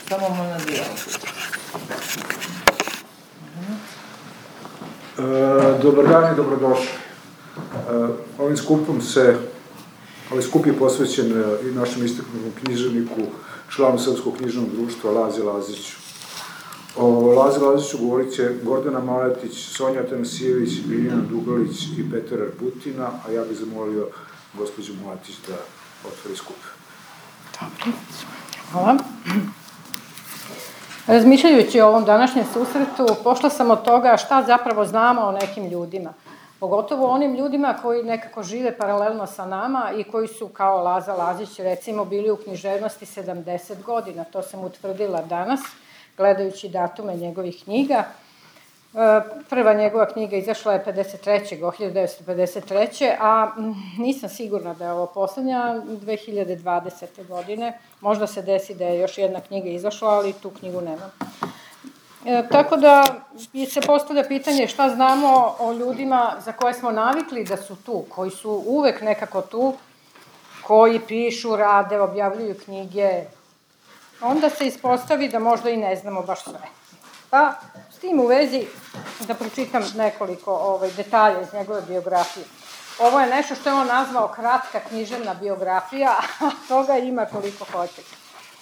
Samo na dijelu. Dobar dan i dobrodošli. Ovaj skup je posvećen i našem istaknutom književniku, članu Srpskog književnog društva Lazi Laziću. O Lazi Laziću govorit će Gordana Maletić, Sonja Tanasijević, Biljana Dugalić i Petar Arputina, a ja bih zamolio gospođu Maletić da otvori skup. Dobro, hvala. Razmišljajući o ovom današnjem susretu, pošla sam od toga šta zapravo znamo o nekim ljudima. Pogotovo onim ljudima koji nekako žive paralelno sa nama i koji su, kao Laza Lazić, recimo, bili u književnosti 70 godina. To sam utvrdila danas, gledajući datume njegovih knjiga. Prva njegova knjiga izašla je 1953. A nisam sigurna da je ovo poslednja, 2020. godine. Možda se desi da je još jedna knjiga izašla, ali tu knjigu nemam. Tako da se postavlja pitanje šta znamo o ljudima za koje smo navikli da su tu, koji su uvek nekako tu, koji pišu, rade, objavljuju knjige. Onda se ispostavi da možda i ne znamo baš sve. Pa, s tim u vezi, da pročitam nekoliko detalja iz njegove biografije. Ovo je nešto što je on nazvao kratka književna biografija, a toga ima koliko hoćete.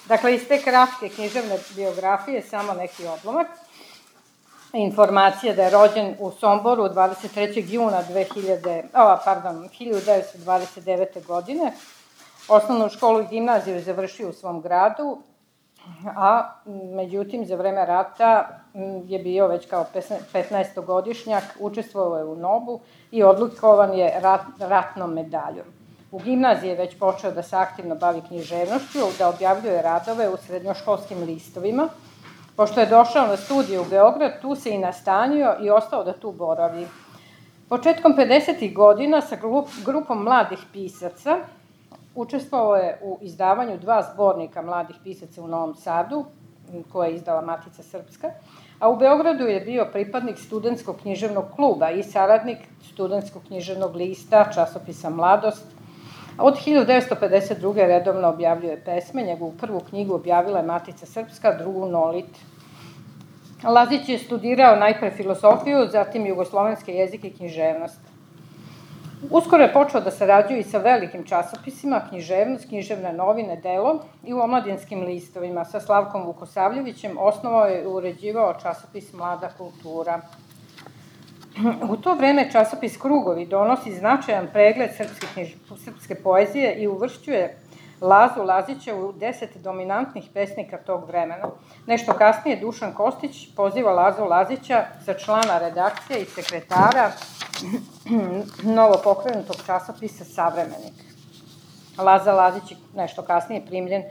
Dakle, iz te kratke književne biografije samo neki odlomak. Informacija da je rođen u Somboru 23. juna 1929. godine. Osnovnu školu i gimnaziju je završio u svom gradu, a međutim za vreme rata je bio već kao 15-godišnjak, učestvovao je u NOB-u i odlikovan je ratnom medaljom. U gimnaziji je već počeo da se aktivno bavi književnošću, da objavljuje radove u srednjoškolskim listovima. Pošto je došao na studije u Beograd, tu se i nastanio i ostao da tu boravi. Početkom 50. godina sa grupom mladih pisaca učestvovao je u izdavanju 2 zbornika mladih pisaca u Novom Sadu, koje je izdala Matica Srpska, a u Beogradu je bio pripadnik studentskog književnog kluba i saradnik studentskog književnog lista, časopisa Mladost. Od 1952. redovno objavljuje pesme, njegovu prvu knjigu objavila je Matica Srpska, drugu Nolit. Lazić je studirao najpre filosofiju, zatim jugoslovenske jezike i književnost. Uskoro je počeo da sarađuje i sa velikim časopisima, književnost, književne novine, delo i u omladinskim listovima. Sa Slavkom Vukosavljevićem osnovao je i uređivao časopis Mlada kultura. U to vreme časopis Krugovi donosi značajan pregled srpske poezije i uvršćuje Lazu Lazića u 10 dominantnih pesnika tog vremena. Nešto kasnije Dušan Kostić poziva Lazu Lazića za člana redakcije i sekretara novopokrenutog časopisa Savremenik. Laza Lazić je nešto kasnije primljen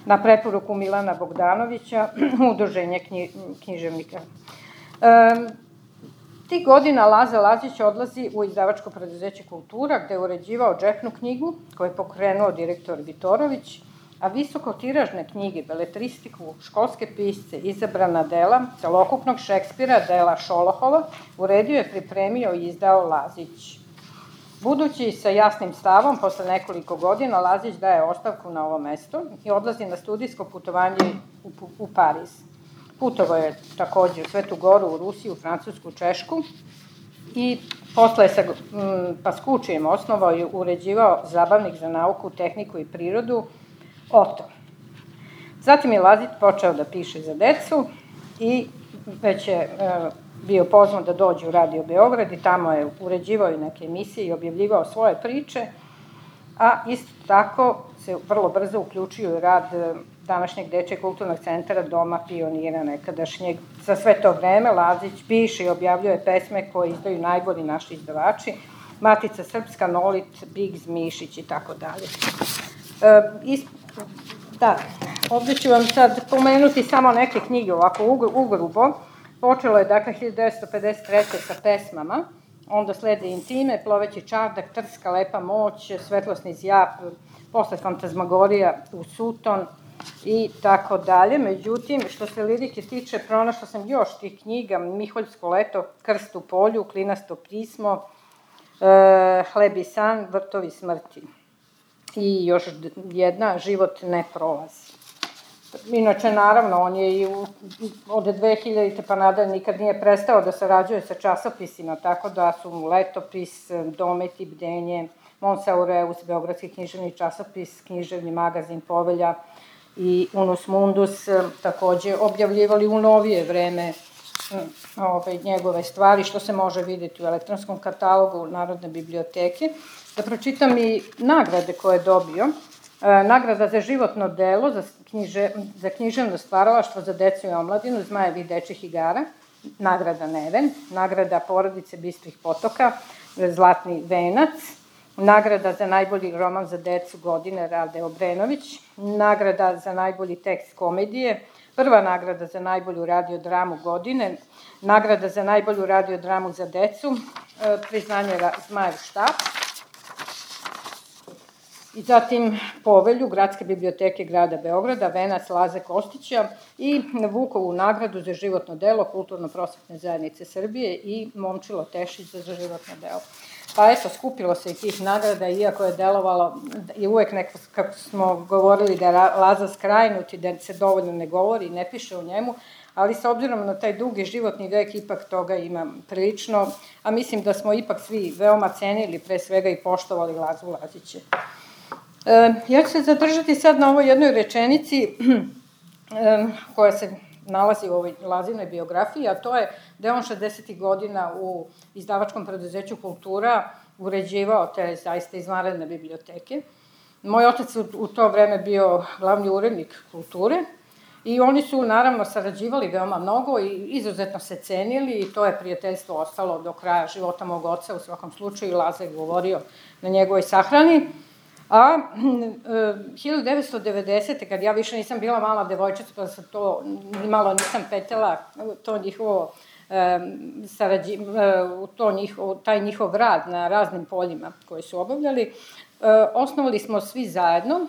na preporuku Milana Bogdanovića u Udruženje književnika. Tih godina Laza Lazić odlazi u izdavačko preduzeće Kultura, gde je uređivao džepnu knjigu, koju je pokrenuo direktor Vitorović, a visokotiražne knjige, beletristiku, školske pisce, izabrana dela, celokupnog Šekspira, dela Šolohova, uredio je, pripremio i izdao Lazić. Budući sa jasnim stavom, posle nekoliko godina, Lazić daje ostavku na ovo mesto i odlazi na studijsko putovanje u Pariz. Putovao je takođe u Svetu Goru, u Rusiju, u Francusku, Češku i posle je sa Paskučijem osnovao i uređivao zabavnik za nauku, tehniku i prirodu Oto. Zatim je Lazić počeo da piše za decu i već je bio pozvan da dođe u Radio Beograd i tamo je uređivao i neke emisije i objavljivao svoje priče, a isto tako se vrlo brzo uključio u rad današnjeg Dečijeg kulturnog centra Doma pionira nekadašnjeg. Za sve to vreme Lazić piše i objavljuje pesme koje izdaju najbolji naši izdavači, Matica Srpska, Nolit, Biggs, Mišić i tako dalje. Da, ovde ću vam sad pomenuti samo neke knjige, ovako ugrubo. Počelo je, dakle, 1953. sa pesmama, onda slede Intime, Ploveći čardak, Trska, Lepa moć, Svetlosni zjap, posle Fantazmagorija u Suton i tako dalje. Međutim, što se lirike tiče, pronašla sam još tih knjiga, Miholjsko leto, Krst u polju, Klinasto pismo, Hleb i san, Vrtovi smrti. I još jedna, Život ne prolazi. Inače, naravno, on je i od 2000. pa nadalje nikad nije prestao da sarađuje sa časopisima, tako da su mu Letopis, Domet i Bdenje, Mons Aureus, Beogradski književni časopis, književni magazin Povelja i Unus Mundus takođe objavljivali u novije vreme njegove stvari, što se može vidjeti u elektronskom katalogu Narodne biblioteke. Da pročitam i nagrade koje je dobio. Nagrada za životno delo, za književno stvaralaštvo za decu i omladinu, Zmajevih dečjih igara, nagrada Neven, nagrada Porodice Bistrih potoka, Zlatni venac, nagrada za najbolji roman za decu godine Rade Obrenović, nagrada za najbolji tekst komedije, prva nagrada za najbolju radiodramu godine, nagrada za najbolju radiodramu za decu, priznanje Zmajev štap, i zatim Povelju Gradske biblioteke grada Beograda, venac Laze Kostića i Vukovu nagradu za životno delo Kulturno-prosvetne zajednice Srbije i Momčilo Tešić za životno delo. Pa eto, skupilo se i tih nagrada, iako je delovalo, i uvek neko, kako smo govorili da je Laza skrajnut i da se dovoljno ne govori i ne piše o njemu, ali s obzirom na taj dugi životni vek ipak toga ima prilično, a mislim da smo ipak svi veoma cenili, pre svega i poštovali Lazu Lazića. Ja ću se zadržati sad na ovoj jednoj rečenici koja se nalazi u ovoj Lazinoj biografiji, a to je da je on 60. godina u izdavačkom preduzeću Kultura uređivao te zaista izvanredne biblioteke. Moj otac u to vreme bio glavni urednik Kulture i oni su naravno sarađivali veoma mnogo i izuzetno se cenili i to je prijateljstvo ostalo do kraja života mog oca, u svakom slučaju Laza je govorio na njegovoj sahrani. A 1990. kad ja više nisam bila mala devojčica, pa sam to nimalo nisam petela, to njihovo taj njihov rad na raznim poljima koje su obavljali, osnovali smo svi zajedno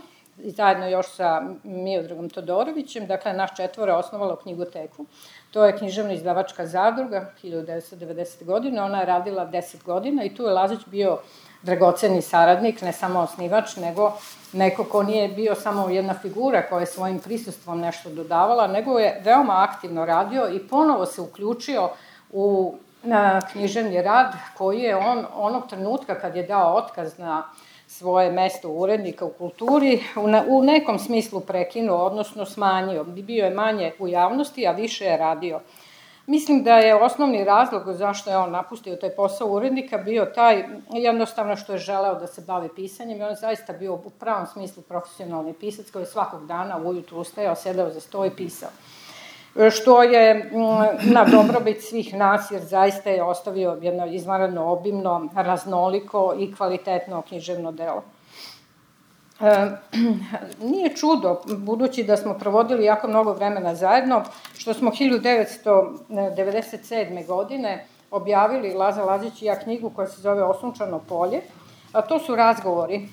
još sa Miodragom Todorovićem, dakle naš četvore osnovalo knjigoteku. To je književno-izdavačka zadruga 1990. godine, ona je radila 10 godina i tu je Lazić bio dragoceni saradnik, ne samo osnivač, nego neko ko nije bio samo jedna figura koja je svojim prisustvom nešto dodavala, nego je veoma aktivno radio i ponovo se uključio u književni rad koji je on onog trenutka kad je dao otkaz na svoje mesto urednika u Kulturi u nekom smislu prekinuo, odnosno smanjio. Bio je manje u javnosti, a više je radio. Mislim da je osnovni razlog zašto je on napustio taj posao urednika bio taj jednostavno što je želeo da se bavi pisanjem i on je zaista bio u pravom smislu profesionalni pisac koji je svakog dana ujutru ustajao, sedao za sto i pisao. Što je na dobrobit svih nas jer zaista je ostavio jedno izvanredno obimno, raznoliko i kvalitetno književno delo. Nije čudo, budući da smo provodili jako mnogo vremena zajedno, što smo 1997. godine objavili Laza Lazić i ja knjigu koja se zove Osunčano polje, a to su razgovori.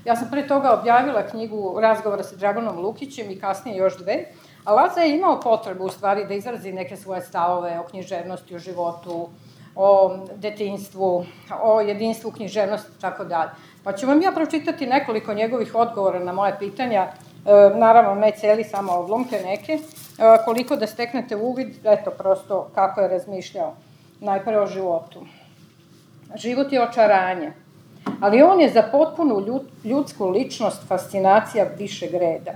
Ja sam pre toga objavila knjigu razgovora sa Draganom Lukićem i kasnije još dve, a Laza je imao potrebu u stvari da izrazi neke svoje stavove o književnosti, o životu, o detinjstvu, o jedinstvu književnosti i tako dalje. Pa ću vam ja pročitati nekoliko njegovih odgovora na moje pitanja, naravno ne celi, samo odlomke neke, koliko da steknete uvid, eto prosto kako je razmišljao. Najpre o životu. Život je očaranje, ali on je za potpunu ljudsku ličnost fascinacija višeg reda.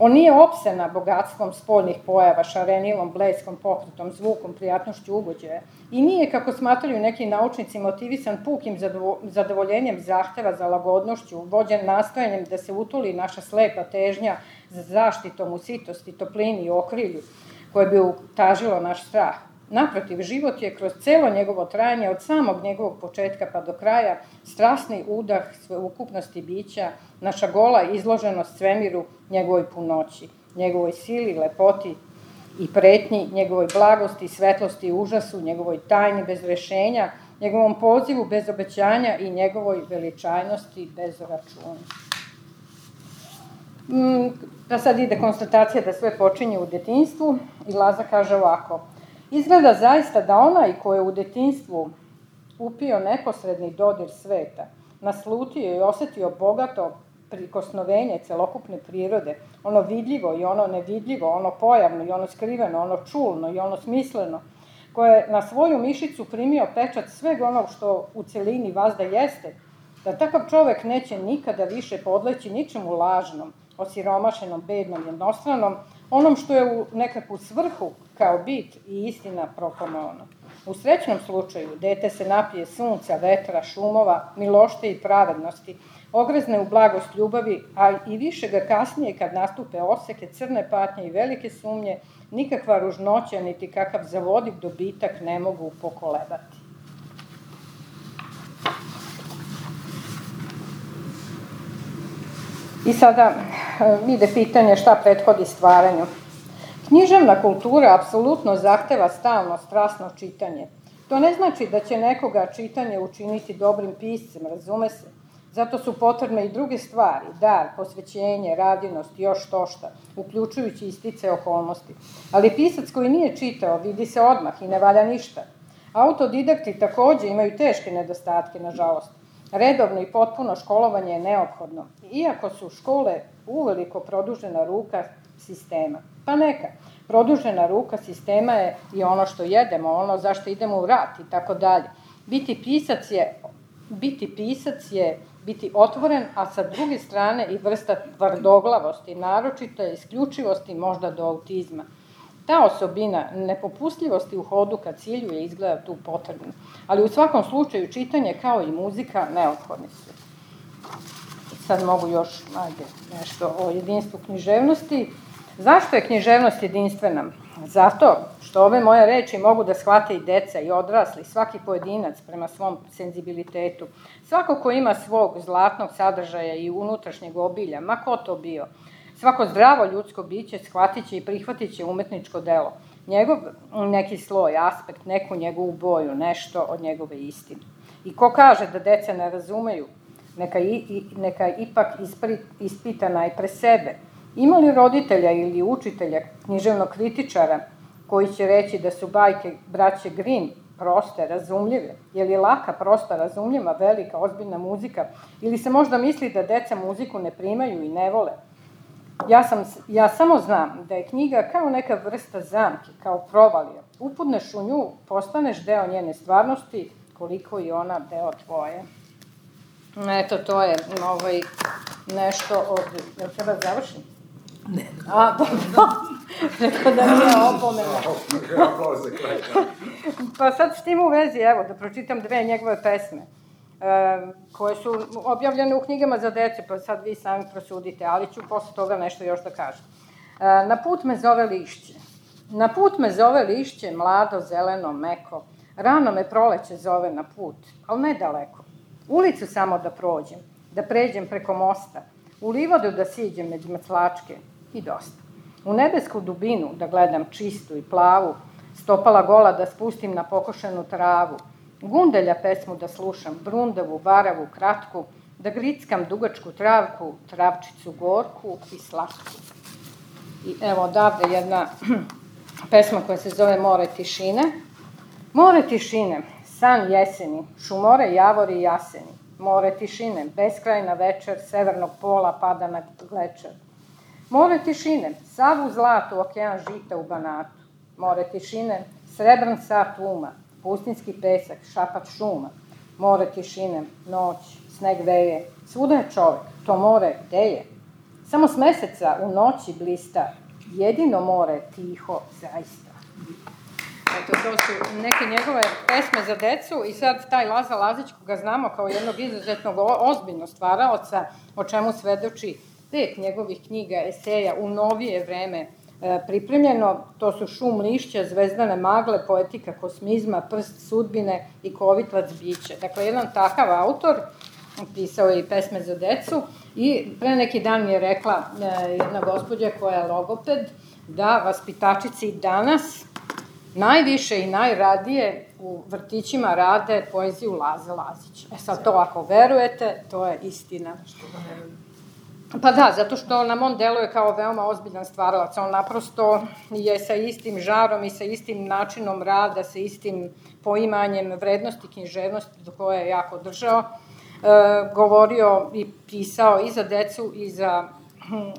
On nije opsena bogatstvom spoljnih pojava, šarenilom, bleskom, pokretom, zvukom, prijatnošću ugođaja. I nije, kako smatraju neki naučnici, motivisan pukim zadovoljenjem zahteva za lagodnošću, vođen nastojanjem da se utoli naša slepa težnja za zaštitom u sitosti, toplini i okrilju, koje bi utažilo naš strah. Naprotiv, život je kroz celo njegovo trajanje, od samog njegovog početka pa do kraja, strasni udah sveukupnosti bića, naša gola izloženost svemiru, njegovoj punoći, njegovoj sili, lepoti i pretnji, njegovoj blagosti, svetlosti i užasu, njegovoj tajni bez rešenja, njegovom pozivu bez obećanja i njegovoj veličajnosti bez računa. Da sad ide konstatacija da sve počinje u detinjstvu i Laza kaže ovako: izgleda zaista da onaj ko je u detinjstvu upio neposredni dodir sveta, naslutio i osetio bogato prikosnovenje celokupne prirode, ono vidljivo i ono nevidljivo, ono pojavno i ono skriveno, ono čulno i ono smisleno, koje je na svoju mišicu primio pečat sveg onog što u celini vazda jeste, da takav čovek neće nikada više podleći ničemu lažnom, osiromašenom, bednom, jednostranom, onom što je u nekakvu svrhu kao bit i istina proklamovano. U srećnom slučaju, dete se napije sunca, vetra, šumova, milošte i pravednosti, ogrezne u blagost ljubavi, a i više ga kasnije kad nastupe oseke, crne patnje i velike sumnje, nikakva ružnoća niti kakav zavodiv dobitak ne mogu pokolebati. I sada ide pitanje šta prethodi stvaranju. Književna kultura apsolutno zahteva stalno, strasno čitanje. To ne znači da će nekoga čitanje učiniti dobrim piscem, razume se. Zato su potrebne i druge stvari, dar, posvećenje, radinost i još tošta, uključujući i stice okolnosti. Ali pisac koji nije čitao vidi se odmah i ne valja ništa. Autodidakti takođe imaju teške nedostatke, nažalost. Redovno i potpuno školovanje je neophodno, iako su škole uveliko produžena ruka sistema. Pa neka, produžena ruka sistema je i ono što jedemo, ono zašto idemo u rat i tako dalje. Biti pisac je biti otvoren, a sa druge strane i vrsta tvrdoglavosti, naročito isključivosti možda do autizma. Ta osobina nepopustljivosti u hodu ka cilju je izgleda tu potrebna, ali u svakom slučaju čitanje kao i muzika neophodni su. Sad mogu još nešto o jedinstvu književnosti. Zašto je književnost jedinstvena? Zato što ove moje reči mogu da shvate i deca i odrasli, svaki pojedinac prema svom senzibilitetu. Svako ko ima svog zlatnog sadržaja i unutrašnjeg obilja, ma ko to bio, svako zdravo ljudsko biće shvatit će i prihvatit će umetničko delo. Njegov neki sloj, aspekt, neku njegovu boju, nešto od njegove istine. I ko kaže da deca ne razumeju, neka ipak ispita najpre sebe. Ima li roditelja ili učitelja, književnog kritičara, koji će reći da su bajke braće Grimm proste, razumljive? Je li laka, prosta, razumljiva, velika, ozbiljna muzika? Ili se možda misli da deca muziku ne primaju i ne vole? Ja samo znam da je knjiga kao neka vrsta zamke, kao provalija. Upadneš u nju, postaneš deo njene stvarnosti, koliko i ona deo tvoje. Eto, to je nešto od... Jel treba završiti? Ne. A, dobro. Rekao da nije opomena. Pa sad s tim u vezi, evo, da pročitam dve njegove pesme, koje su objavljene u knjigama za dece, pa sad vi sami prosudite, ali ću posle toga nešto još da kažem. Na put me zove lišće. Na put me zove lišće, mlado, zeleno, meko. Rano me proleće zove na put, ali ne daleko. Ulicu samo da prođem, da pređem preko mosta, u livadu da siđem među mrtlačke i dosta. U nebesku dubinu da gledam čistu i plavu, stopala gola da spustim na pokošenu travu, gundelja pesmu da slušam, brundavu, varavu, kratku, da grickam dugačku travku, travčicu gorku i slatku. I evo odavde jedna pesma koja se zove More tišine. More tišine, san jeseni, šumore, javori i jaseni. More tišine, beskrajna večer, severnog pola pada na glečer. More tišine, sav u zlatu, okean žita u Banatu. More tišine, srebran sat uma, pustinski pesak, šapat šuma. More tišine, noć, sneg veje, svuda je čovek, to more gde je? Samo s meseca u noći blista, jedino more tiho zaista. Eto, to su neke njegove pesme za decu i sad taj Laza Lazić, koga znamo kao jednog izuzetnog ozbiljnog stvaraoca, o čemu svedoči 5 njegovih knjiga, eseja u novije vreme pripremljeno, to su Šum lišća, Zvezdane magle, Poetika kosmizma, Prst sudbine i Kovitlac biće. Dakle, jedan takav autor, pisao je i pesme za decu i pre neki dan mi je rekla jedna gospođa koja je logoped da vaspitačici danas najviše i najradije u vrtićima rade poeziju Laze Lazića. E sad to ako verujete, to je istina. Pa da, zato što nam on deluje kao veoma ozbiljan stvaralac. On naprosto je sa istim žarom i sa istim načinom rada, sa istim poimanjem vrednosti književnosti do koje je jako držao. govorio i pisao i za decu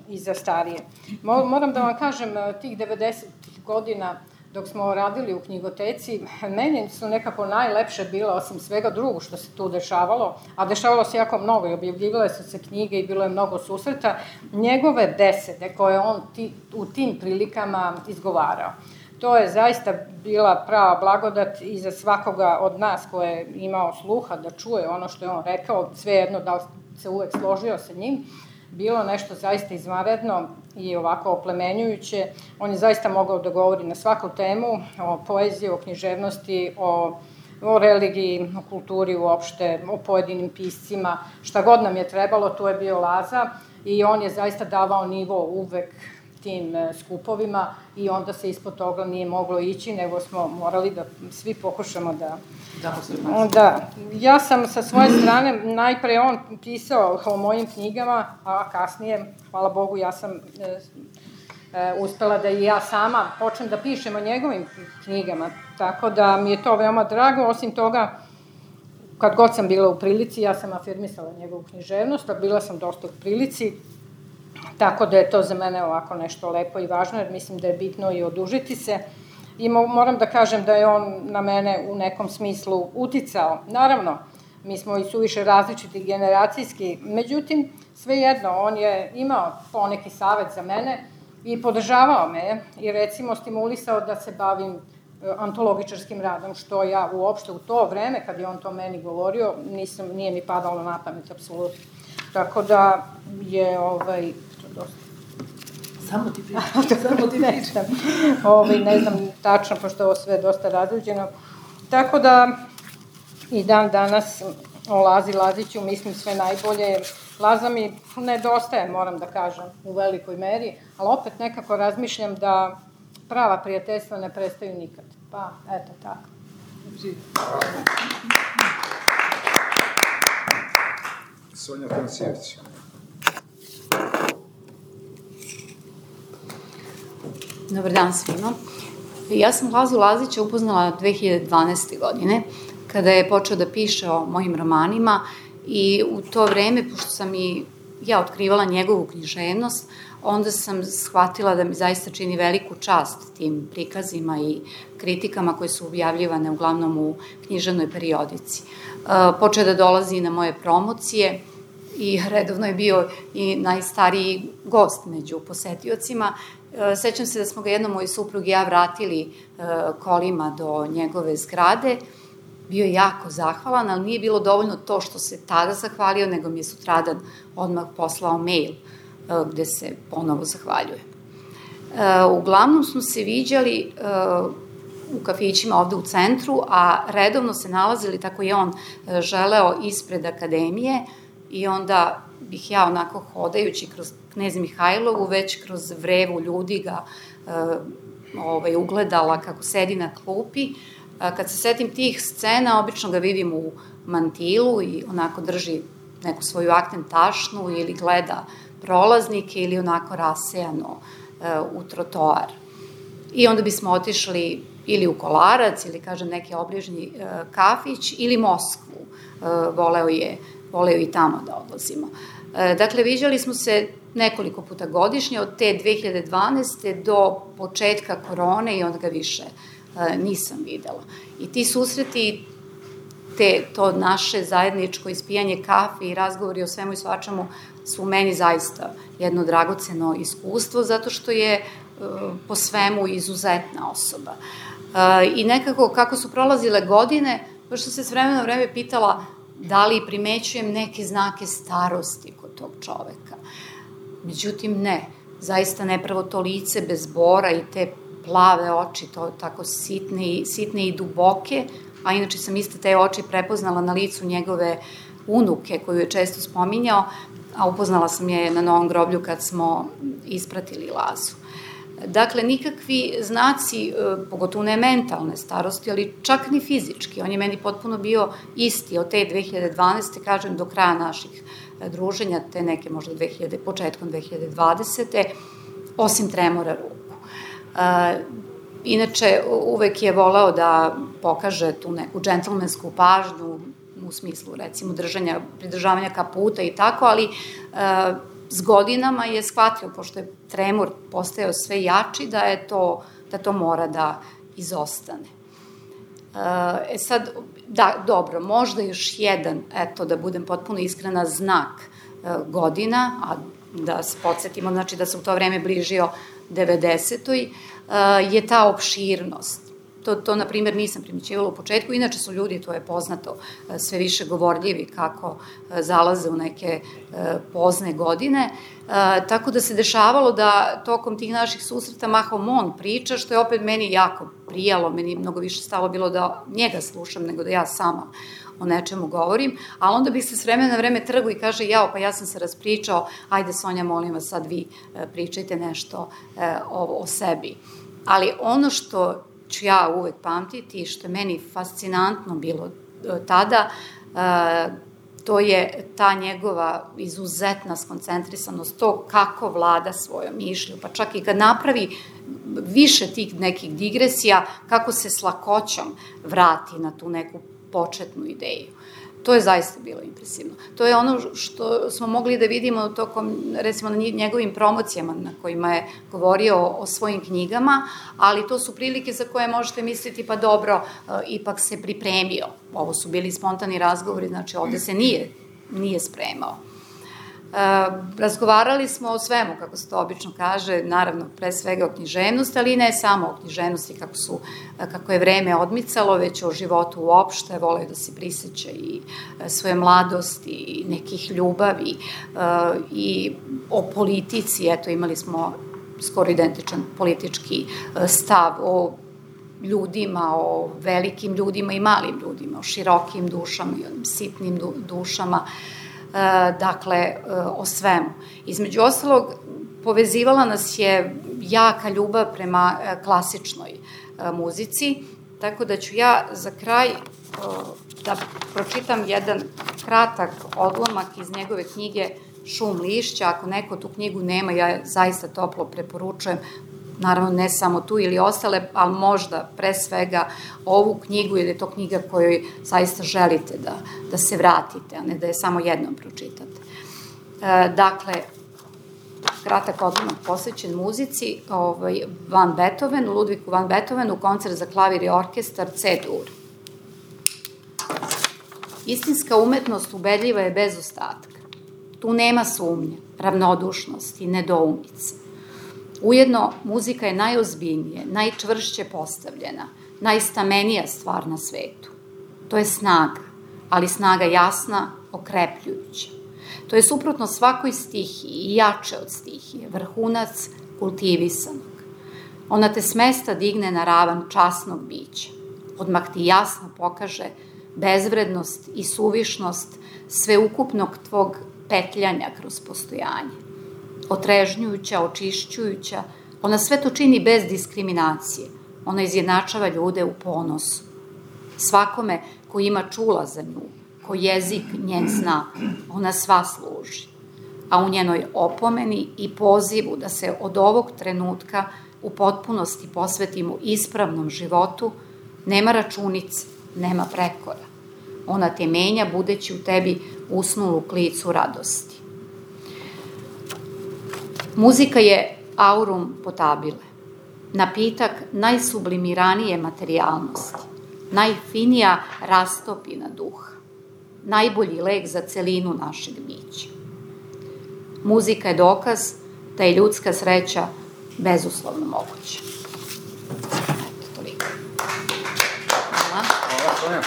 i za starije. Moram da vam kažem, tih 90 godina dok smo radili u knjigoteci, meni su nekako najlepše bila, osim svega drugog što se tu dešavalo, a dešavalo se jako mnogo i objavljivale su se knjige i bilo je mnogo susreta, njegove besede koje on u tim prilikama izgovarao. To je zaista bila prava blagodat i za svakoga od nas ko je imao sluha da čuje ono što je on rekao, svejedno da li se uvek složio sa njim, bilo nešto zaista izvanredno i ovako oplemenjujuće. On je zaista mogao da govori na svaku temu, o poeziji, o književnosti, o religiji, o kulturi uopšte, o pojedinim piscima. Šta god nam je trebalo, tu je bio Laza i on je zaista davao nivo uvek tim skupovima i onda se ispod toga nije moglo ići, nego smo morali da svi pokušamo da... Da, ja sam sa svoje strane, najpre on pisao o mojim knjigama, a kasnije, hvala Bogu, ja sam uspela da i ja sama počnem da pišem o njegovim knjigama, tako da mi je to veoma drago. Osim toga, kad god sam bila u prilici, ja sam afirmisala njegovu književnost, a bila sam dosta u prilici, tako da je to za mene ovako nešto lepo i važno, jer mislim da je bitno i odužiti se. I moram da kažem da je on na mene u nekom smislu uticao. Naravno, mi smo i suviše različiti generacijski, međutim, svejedno, on je imao poneki savet za mene i podržavao me i recimo stimulisao da se bavim antologičarskim radom, što ja uopšte u to vreme, kad je on to meni govorio, nije mi padalo na pamet, apsolutno. Tako da je, dosta. Samo ti pričam. Ne znam tačno, pošto je ovo sve dosta razređeno. Tako da i dan danas o Lazi Laziću mislim sve najbolje. Laza mi nedostaje, moram da kažem, u velikoj meri, ali opet nekako razmišljam da prava prijateljstva ne prestaju nikad. Pa, eto tako. Sonja Tanasijević. Dobar dan svima. Ja sam Lazu Lazića upoznala 2012. godine, kada je počeo da piše o mojim romanima i u to vreme, pošto sam i ja otkrivala njegovu književnost, onda sam shvatila da mi zaista čini veliku čast tim prikazima i kritikama koje su objavljivane uglavnom u književnoj periodici. Počeo da dolazi na moje promocije i redovno je bio i najstariji gost među posetiocima. Sećam se da smo ga jednom moj suprug i ja vratili kolima do njegove zgrade. Bio je jako zahvalan, ali nije bilo dovoljno to što se tada zahvalio, nego mi je sutradan odmah poslao mail gde se ponovo zahvaljuje. Uglavnom smo se viđali u kafićima ovde u centru, a redovno se nalazili, tako je on želeo, ispred akademije i onda bih ja onako hodajući kroz Knez Mihajlovu, već kroz vrevu ljudi ga ugledala kako sedi na klupi. Kad se setim tih scena, obično ga vidim u mantilu i onako drži neku svoju akten tašnu ili gleda prolaznike ili onako rasejano u trotoar. I onda bismo otišli ili u Kolarac ili, kažem, neki obližnji kafić ili Moskvu. Voleo je i tamo da odlazimo. Dakle, viđali smo se nekoliko puta godišnje, od te 2012. do početka korone i onda ga više nisam videla. I ti susreti, to naše zajedničko ispijanje kafe i razgovori o svemu i svačemu su meni zaista jedno dragoceno iskustvo, zato što je po svemu izuzetna osoba. I nekako kako su prolazile godine, pošto se s vremena na vreme pitala da li primećujem neke znake starosti kod tog čoveka. Međutim, ne. Zaista nepravo to lice bez bora i te plave oči, to tako sitne i duboke, a inače sam iste te oči prepoznala na licu njegove unuke, koju je često spominjao, a upoznala sam je na Novom groblju kad smo ispratili Lazu. Dakle, nikakvi znaci, pogotovo ne mentalne starosti, ali čak ni fizički. On je meni potpuno bio isti od te 2012. kažem, do kraja naših druženja, te neke možda početkom 2020. osim tremora ruku. Inače, uvek je voleo da pokaže tu neku džentlmensku pažnju u u smislu, recimo, pridržavanja kaputa i tako, ali s godinama je shvatio, pošto je tremor postajao sve jači, da to mora da izostane. Sad, da, dobro, možda još jedan, eto, da budem potpuno iskrena, znak godina, a da se podsjetimo, znači da se u to vreme bližio 90. Je ta opširnost. To, na primjer, nisam primećivala u početku, inače su ljudi, to je poznato, sve više govorljivi kako zalaze u neke pozne godine, tako da se dešavalo da tokom tih naših susreta mahom on priča, što je opet meni jako prijalo, meni mnogo više stalo bilo da njega slušam nego da ja sama o nečemu govorim, ali onda bih se s vremena na vreme trgu i kaže, pa ja sam se raspričao, ajde Sonja, molim vas, sad vi pričajte nešto o sebi. Ali ono što ću ja uvek pamtiti i što je meni fascinantno bilo tada, to je ta njegova izuzetna skoncentrisanost, to kako vlada svojom mišlju, pa čak i kad napravi više tih nekih digresija, kako se s lakoćom vrati na tu neku početnu ideju. To je zaista bilo impresivno. To je ono što smo mogli da vidimo tokom, recimo, na njegovim promocijama na kojima je govorio o svojim knjigama, ali to su prilike za koje možete misliti, pa dobro, ipak se pripremio. Ovo su bili spontani razgovori, znači ovde se nije spremao. Razgovarali smo o svemu, kako se to obično kaže, naravno pre svega o književnosti, ali ne samo o književnosti kako je vreme odmicalo, već o životu uopšte, voleo da se priseća i svoje mladosti i nekih ljubavi i o politici, eto imali smo skoro identičan politički stav o ljudima, o velikim ljudima i malim ljudima, o širokim dušama i onim sitnim dušama, dakle, o svemu. Između ostalog, povezivala nas je jaka ljubav prema klasičnoj muzici, tako da ću ja za kraj da pročitam jedan kratak odlomak iz njegove knjige Šum lišća. Ako neko tu knjigu nema, ja zaista toplo preporučujem, naravno ne samo tu ili ostale, ali možda pre svega ovu knjigu, jer je to knjiga kojoj zaista želite da se vratite, a ne da je samo jednom pročitate. Dakle, kratak odlomak posvećen muzici, Van Beethoven, Ludvigu van Beethovenu, koncert za klavir i orkestar C-dur. Istinska umetnost ubedljiva je bez ostatka. Tu nema sumnje, ravnodušnosti, nedoumice. Ujedno, muzika je najozbiljnije, najčvršće postavljena, najstamenija stvar na svetu. To je snaga, ali snaga jasna, okrepljujuća. To je suprotno svakoj stihiji i jače od stihije, vrhunac kultivisanog. Ona te s mesta digne na ravan časnog bića. Odmah ti jasno pokaže bezvrednost i suvišnost sveukupnog tvog petljanja kroz postojanje. Otrežnjujuća, očišćujuća, ona sve to čini bez diskriminacije. Ona izjednačava ljude u ponosu. Svakome ko ima čula za nju, ko jezik njen zna, ona sva služi. A u njenoj opomeni i pozivu da se od ovog trenutka u potpunosti posvetimo ispravnom životu, nema računice, nema prekora. Ona te menja budeći u tebi usnulu klicu radosti. Muzika je aurum potabile, napitak najsublimiranije materijalnosti, najfinija rastopina duha, najbolji lek za celinu našeg bića. Muzika je dokaz da je ljudska sreća bezuslovno moguća. Eto, toliko. Hvala. Hvala, Sonja.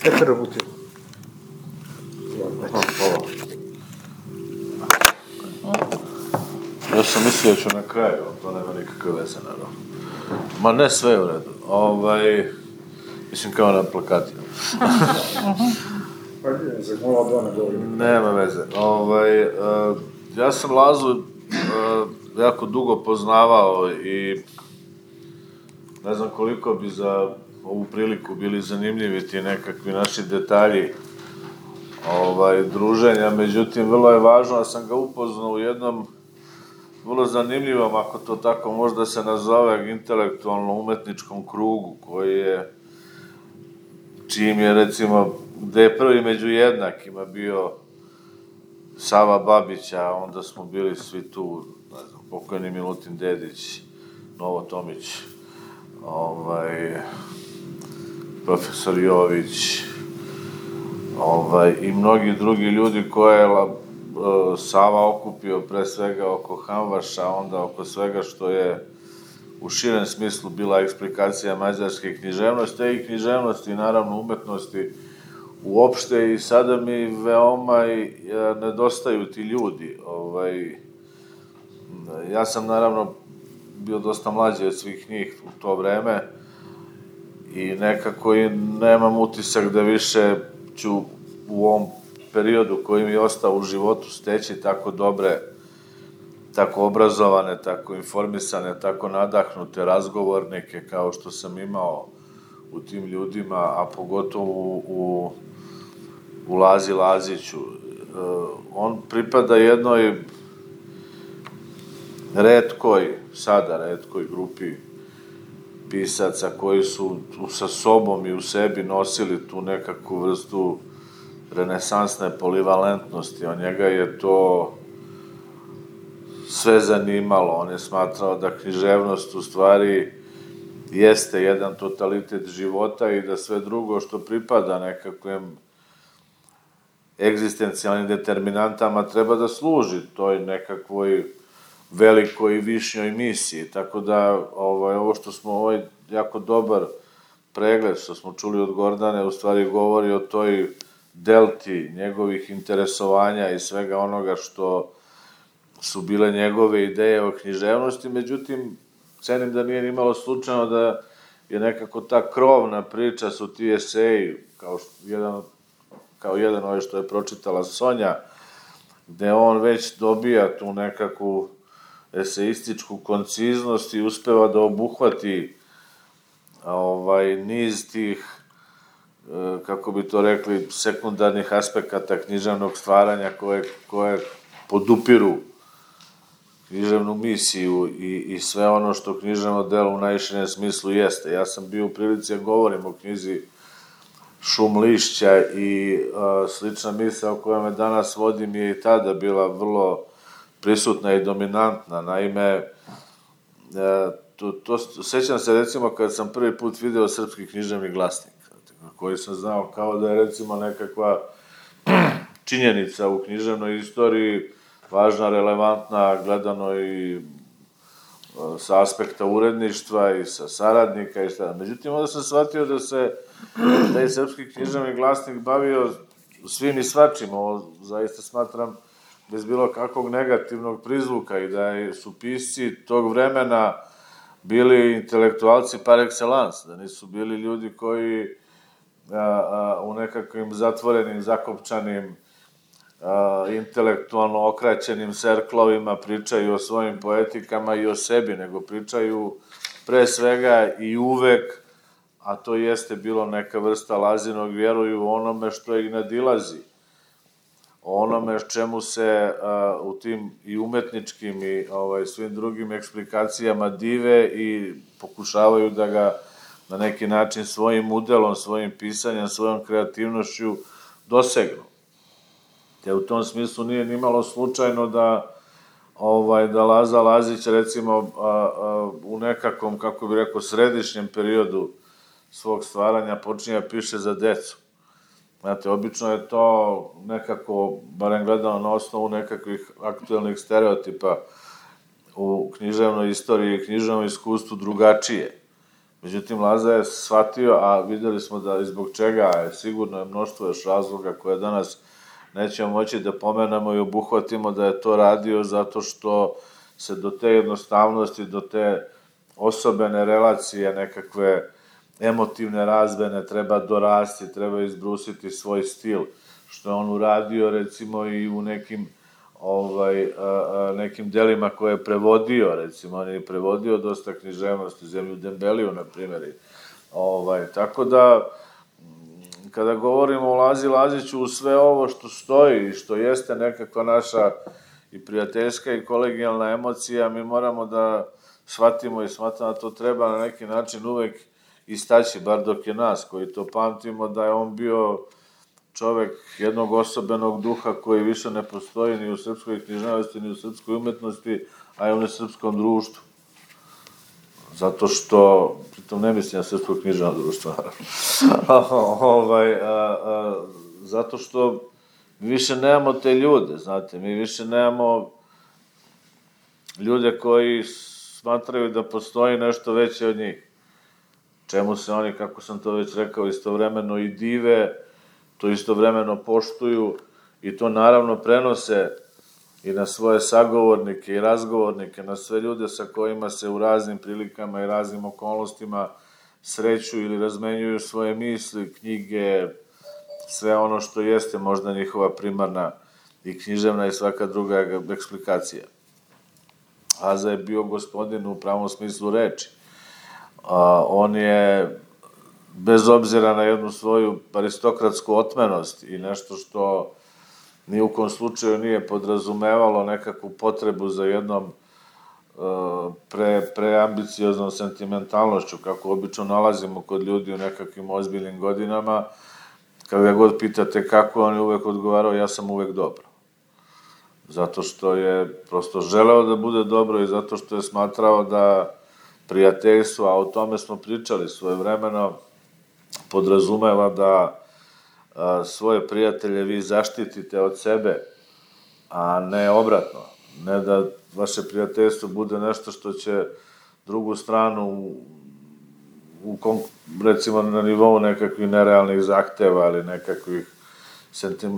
Petar Vutin. Hvala. Ja sam mislio da ću na kraju, to nema nikakve veze, naravno. Ma ne, sve je u redu. Mislim kao na plakatima. Pa nije, za mola dva ne govorim. Nema veze. Ja sam Lazu jako dugo poznavao i ne znam koliko bi za ovu priliku bili zanimljivi ti nekakvi naši detalji druženja, međutim, vrlo je važno da sam ga upoznao u jednom vrlo zanimljivom, ako to tako možda se nazove, intelektualno-umetničkom krugu, koji je čijim je, recimo, gde je prvi među jednakima bio Sava Babić, a onda smo bili svi tu, ne znam, pokojni Milutin Dedić, Novo Tomić, profesor Jović, i mnogi drugi ljudi koje je Sava okupio pre svega oko Hamvaša, onda oko svega što je u širem smislu bila eksplikacija mađarske književnosti, i književnosti i naravno umetnosti uopšte, i sada mi veoma nedostaju ti ljudi. Ja sam naravno bio dosta mlađi od svih njih u to vreme i nekako i nemam utisak da više ću u ovom periodu koji mi je ostao u životu steći tako dobre, tako obrazovane, tako informisane, tako nadahnute razgovornike kao što sam imao u tim ljudima, a pogotovo u Lazi Laziću. On pripada jednoj retkoj grupi pisaca koji su sa sobom i u sebi nosili tu nekakvu vrstu renesansne polivalentnosti. On njega je to sve zanimalo. On je smatrao da književnost u stvari jeste jedan totalitet života i da sve drugo što pripada nekakvim egzistencijalnim determinantama treba da služi toj nekakvoj velikoj i višnjoj misiji. Tako da ovo što smo, jako dobar pregled što smo čuli od Gordane, u stvari govori o toj delti njegovih interesovanja i svega onoga što su bile njegove ideje o književnosti. Međutim, cenim da nije nimalo slučajno da je nekako ta krovna priča su ti eseji, kao jedan što je pročitala Sonja, gde on već dobija tu nekakvu eseističku konciznost i uspeva da obuhvati niz tih, kako bi to rekli, sekundarnih aspekata književnog stvaranja koje podupiru književnu misiju i sve ono što književno delo u najširem smislu jeste. Ja sam bio u prilici da govorim o knjizi Šum lišća i slična misao koja me danas vodim je i tada bila vrlo prisutna i dominantna. Naime, sećam se recimo kad sam prvi put video Srpski književni glasnik, koji sam znao kao da je recimo nekakva činjenica u književnoj istoriji, važna, relevantna, gledano i sa aspekta uredništva i sa saradnika i šta. Međutim, onda sam shvatio da se taj Srpski književni glasnik bavio svim i svačim. Ovo zaista smatram bez bilo kakvog negativnog prizvuka i da su pisci tog vremena bili intelektualci par excellence, da nisu bili ljudi koji u nekakvim zatvorenim, zakopčanim, intelektualno okraćenim serklovima pričaju o svojim poetikama i o sebi, nego pričaju pre svega i uvek, a to jeste bilo neka vrsta Lazinog, vjeruju onome što ih nadilazi, onome čemu se u tim i umetničkim i svim drugim eksplikacijama dive i pokušavaju da ga na neki način svojim udelom, svojim pisanjem, svojom kreativnošću dosegnu. Te u tom smislu nije nimalo slučajno da Laza Lazić, recimo, u nekakvom, kako bih rekao, središnjem periodu svog stvaranja počinje da piše za decu. Znate, obično je to nekako, barem gledano na osnovu nekakvih aktuelnih stereotipa u književnoj istoriji i književnom iskustvu drugačije. Međutim, Laza je shvatio, a videli smo da izbog čega je sigurno mnoštvo još razloga koje danas nećemo moći da pomenemo i obuhvatimo, da je to radio zato što se do te jednostavnosti, do te osobene relacije, nekakve emotivne razvene treba dorasti, treba izbrusiti svoj stil, što je on uradio recimo i u nekim delima koje je prevodio, recimo on je prevodio dosta književnosti, Zemlju Dembeliju, na primjer. Tako da, kada govorimo o Lazi Laziću, u sve ovo što stoji i što jeste nekakva naša i prijateljska i kolegijalna emocija, mi moramo da shvatimo i smatramo da to treba na neki način uvek istaći, bar dok je nas, koji to pamtimo, da je on bio čovek jednog osobenog duha koji više ne postoji ni u srpskoj književnosti, ni u srpskoj umetnosti, a i u nesrpskom društvu. Zato što, pritom ne mislim na srpsko književno društvo, zato što mi više nemamo te ljude, znate, mi više nemamo ljude koji smatraju da postoji nešto veće od njih. Čemu se oni, kako sam to već rekao, istovremeno i dive, to istovremeno poštuju i to naravno prenose i na svoje sagovornike i razgovornike, na sve ljude sa kojima se u raznim prilikama i raznim okolnostima sreću ili razmenjuju svoje misli, knjige, sve ono što jeste možda njihova primarna i književna i svaka druga eksplikacija. Aza je bio gospodin u pravom smislu reči. On je, bez obzira na jednu svoju aristokratsku otmenost i nešto što ni u kom slučaju nije podrazumevalo nekakvu potrebu za jednom preambicioznom sentimentalnošću, kako obično nalazimo kod ljudi u nekakvim ozbiljnim godinama, kada god pitate kako, on je uvek odgovarao, ja sam uvek dobro. Zato što je prosto želeo da bude dobro i zato što je smatrao da prijateljstvo, a o tome smo pričali svojevremeno, podrazumeva da svoje prijatelje vi zaštitite od sebe, a ne obratno. Ne da vaše prijateljstvo bude nešto što će drugu stranu recimo na nivou nekakvih nerealnih zahteva ili nekakvih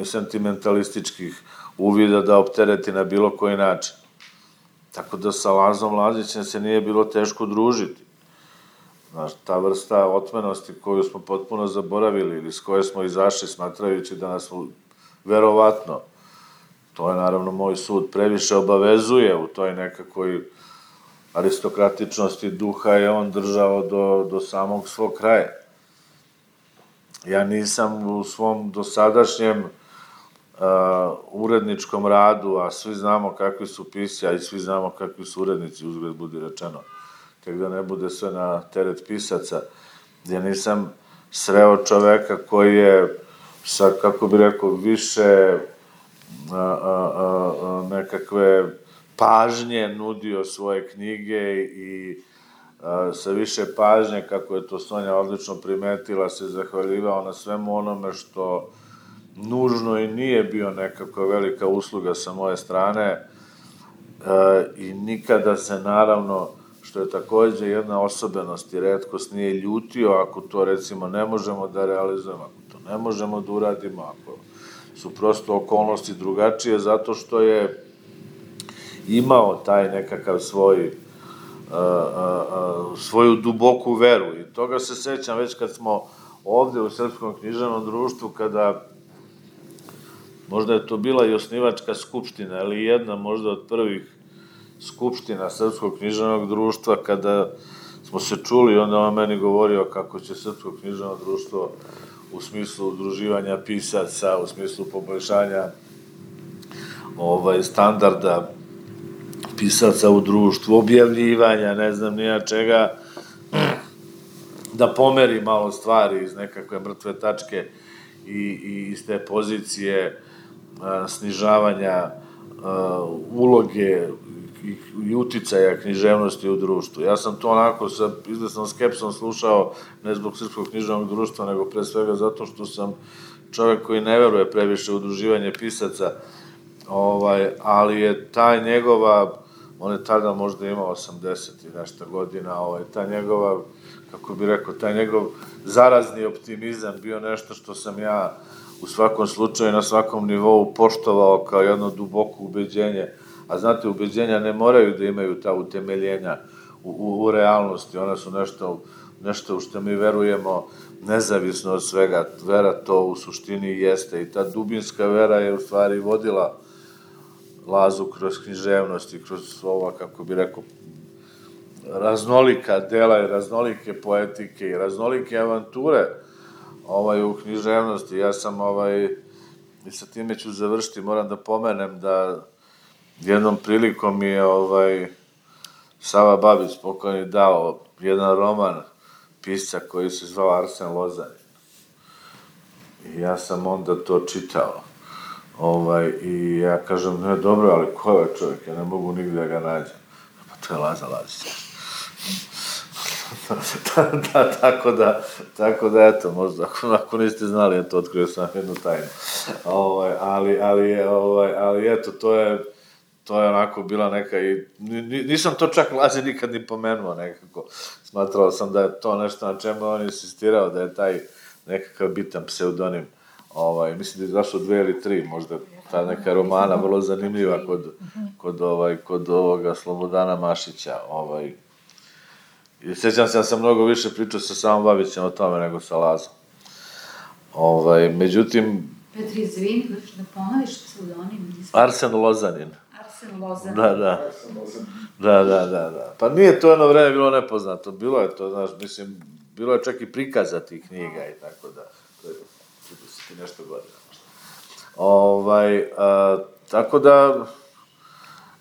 sentimentalističkih uvida da optereti na bilo koji način. Tako da sa Lazom Lazićem se nije bilo teško družiti. Znaš, ta vrsta otmenosti koju smo potpuno zaboravili ili s koje smo izašli smatrajući da nas verovatno, to je naravno moj sud, previše obavezuje u toj nekakvoj aristokratičnosti duha je on držao do samog svog kraja. Ja nisam u svom dosadašnjem uredničkom radu, a svi znamo kakvi su pisci, a i svi znamo kakvi su urednici, uzgled budi rečeno, tek da ne bude sve na teret pisaca, gdje nisam sreo čoveka koji je sa, kako bi rekao, više nekakve pažnje nudio svoje knjige i sa više pažnje, kako je to Sonja odlično primetila, se zahvaljivao na svemu onome što nužno i nije bio nekakva velika usluga sa moje strane i nikada se naravno, što je takođe jedna osobenost i retkost, nije ljutio ako to recimo ne možemo da realizujemo, ako to ne možemo da uradimo, ako su prosto okolnosti drugačije, zato što je imao taj nekakav svoju duboku veru i toga se sećam već kad smo ovde u Srpskom književnom društvu, kada možda je to bila i osnivačka skupština, ali jedna možda od prvih skupština Srpskog književnog društva, kada smo se čuli, onda on meni govorio kako će Srpsko književno društvo u smislu udruživanja pisaca, u smislu poboljšanja standarda pisaca u društvu, objavljivanja, ne znam nija čega, da pomeri malo stvari iz nekakve mrtve tačke i iz te pozicije snižavanja uloge i uticaja književnosti u društvu. Ja sam to onako sa izvesnom skepsom slušao, ne zbog Srpskog književnog društva, nego pre svega zato što sam čovek koji ne veruje previše u udruživanje pisaca, ali je ta njegova, on je tada možda imao 80 i nešto godina, ta njegova, kako bi rekao, taj njegov zarazni optimizam bio nešto što sam ja u svakom slučaju, na svakom nivou poštovao kao jedno duboko ubeđenje. A znate, ubeđenja ne moraju da imaju ta utemeljenja u realnosti, ona su nešto u što mi verujemo nezavisno od svega. Vera to u suštini jeste i ta dubinska vera je u stvari vodila Lazu kroz književnost i kroz ova, kako bi rekao, raznolika dela i raznolike poetike i raznolike avanture u književnosti. Ja sam, i sa time ću završiti, moram da pomenem da jednom prilikom mi je Sava Babić pokojni dao jedan roman pisca koji se zvao Arsen Lozanin. I ja sam onda to čitao. I ja kažem, ne, dobro, ali ko je ovaj čovjek? Ja ne mogu nigde da ga nađem. Pa to je Laza Lazić. Tako da, eto, možda, ako niste znali, eto, otkrio sam jednu tajnu. Ali, eto, to je onako bila neka i... Nisam to čak Lazi nikad ni pomenuo nekako. Smatrao sam da je to nešto na čemu on insistirao, da je taj nekakav bitan pseudonim. Mislim da je zašlo 2 ili 3, možda ta neka romana, vrlo zanimljiva kod ovoga Slobodana Mašića. I sjećam se, ja sam mnogo više pričao sa Samom Babićem o tome nego sa Lazom. Međutim... Petri, izvini, da ponoviš pseudonim? Arsen Lozanin. Arsen Lozanin. Da. Pa nije to jedno vreme bilo nepoznato, bilo je to, znaš, mislim, bilo je čak i prikaza tih knjiga i tako da, to je 30 i nešto godina. Tako da,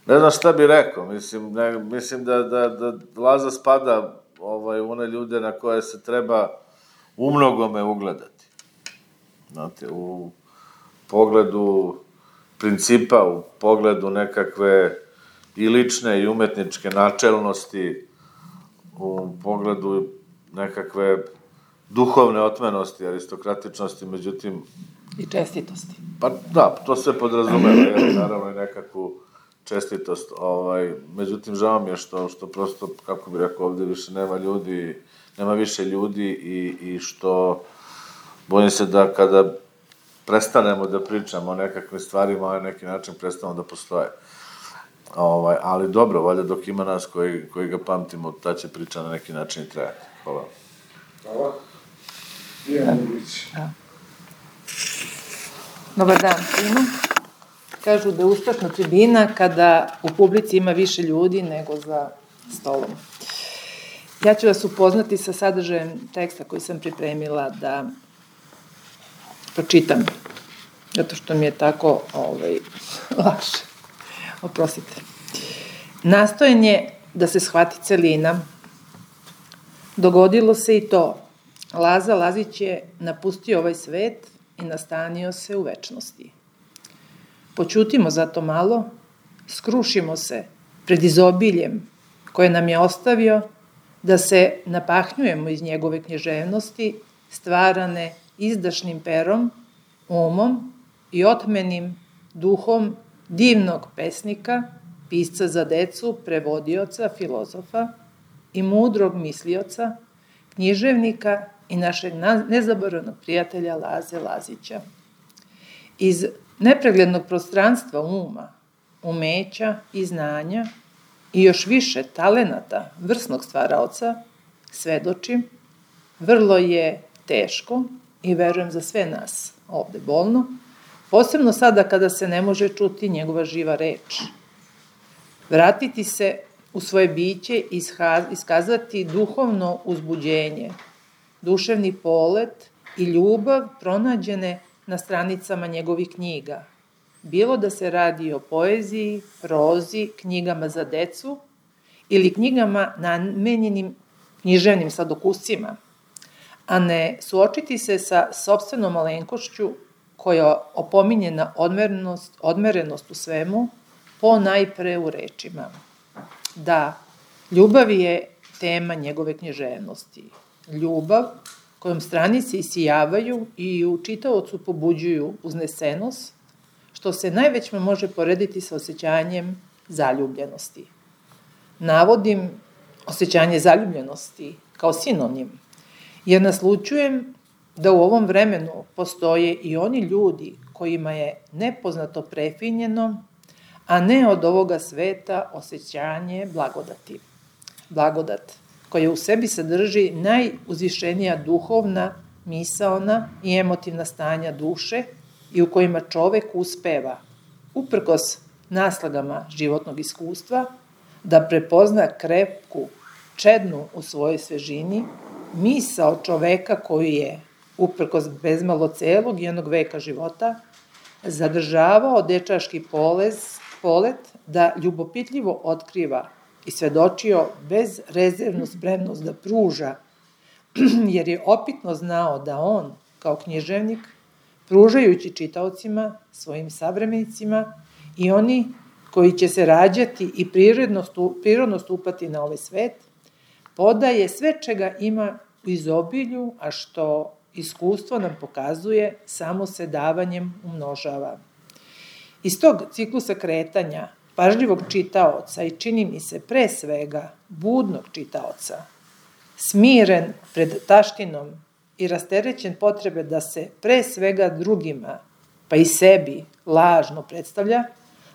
ne znam šta bi rekao, mislim da Laza spada u one ljude na koje se treba umnogome ugledati. Znate, u pogledu principa, u pogledu nekakve i lične i umetničke načelnosti, u pogledu nekakve duhovne otmenosti, aristokratičnosti, međutim... I čestitosti. Pa da, to sve podrazumeva, naravno i nekakvu čestitost. Međutim, žao mi je što prosto, kako bih rekao, ovde više nema više ljudi i što bojim se da kada prestanemo da pričamo o nekakvim stvarima, na neki način prestamo da postoje. Ali dobro, valjda dok ima nas koji ga pamtimo, ta će priča na neki način i trajati. Hvala. Hvala. Ivan Ulić. Dobar dan svima. Kažu da je uspešna tribina kada u publici ima više ljudi nego za stolom. Ja ću vas upoznati sa sadržajem teksta koji sam pripremila da pročitam, zato što mi je tako lakše. Oprostite. Nastojanje da se shvati celina. Dogodilo se i to. Laza Lazić je napustio ovaj svet i nastanio se u večnosti. Poćutimo zato malo, skrušimo se pred izobiljem koje nam je ostavio, da se napahnjujemo iz njegove književnosti, stvarane izdašnim perom, umom i otmenim duhom divnog pesnika, pisca za decu, prevodioca, filozofa i mudrog mislioca, književnika i našeg nezaboravnog prijatelja Laze Lazića. Iz nepreglednog prostranstva uma, umeća i znanja i još više talenata vrsnog stvaraoca, svedočim, vrlo je teško i verujem za sve nas ovde bolno, posebno sada kada se ne može čuti njegova živa reč. Vratiti se u svoje biće i iskazati duhovno uzbuđenje, duševni polet i ljubav pronađene na stranicama njegovih knjiga. Bilo da se radi o poeziji, prozi, knjigama za decu ili knjigama namenjenim književnim sladokuscima, a ne suočiti se sa sopstvenom malenkošću koja opominje na odmerenost u svemu, po najpre u rečima. Da, ljubav je tema njegove književnosti. Ljubav kojom stranice isijavaju i u čitaocu pobuđuju uznesenost, što se najvećma može porediti sa osjećanjem zaljubljenosti. Navodim osjećanje zaljubljenosti kao sinonim, jer naslučujem da u ovom vremenu postoje i oni ljudi kojima je nepoznato prefinjeno, a ne od ovoga sveta osjećanje blagodati. Blagodat koja u sebi sadrži najuzvišenija duhovna, misaona i emotivna stanja duše i u kojima čovek uspeva, uprkos naslagama životnog iskustva, da prepozna krepku, čednu u svojoj svežini, misao čoveka koju je, uprkos bezmalo celog jednog veka života, zadržavao dečaški polet da ljubopitljivo otkriva i svedočio bezrezervnu spremnost da pruža jer je opitno znao da on, kao književnik, pružajući čitaocima, svojim savremenicima i oni koji će se rađati i prirodno stupati na ovaj svet, podaje sve čega ima u izobilju, a što iskustvo nam pokazuje samo se davanjem umnožava. Iz tog ciklusa kretanja, pažljivog čitaoca i čini mi se pre svega budnog čitaoca, smiren pred taštinom i rasterećen potrebe da se pre svega drugima, pa i sebi, lažno predstavlja,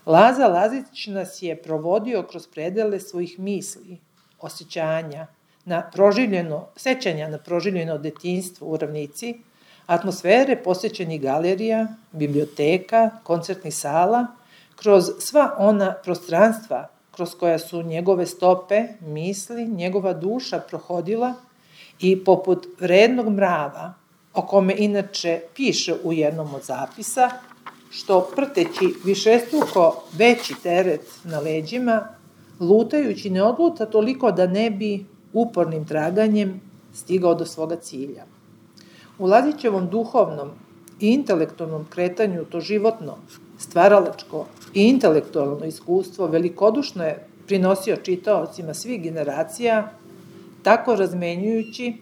Laza Lazić nas je provodio kroz predele svojih misli, osjećanja, sećanja na proživljeno detinjstvo u Ravnici, atmosfere posjećenih galerija, biblioteka, koncertnih sala, kroz sva ona prostranstva kroz koja su njegove stope, misli, njegova duša prohodila i poput vrednog mrava, o kome inače piše u jednom od zapisa, što prteći višestruko veći teret na leđima, lutajući ne odluta toliko da ne bi upornim traganjem stigao do svoga cilja. U Lazićevom duhovnom i intelektualnom kretanju to životno, stvaralačko i intelektualno iskustvo velikodušno je prinosio čitaocima svih generacija, tako razmenjujući,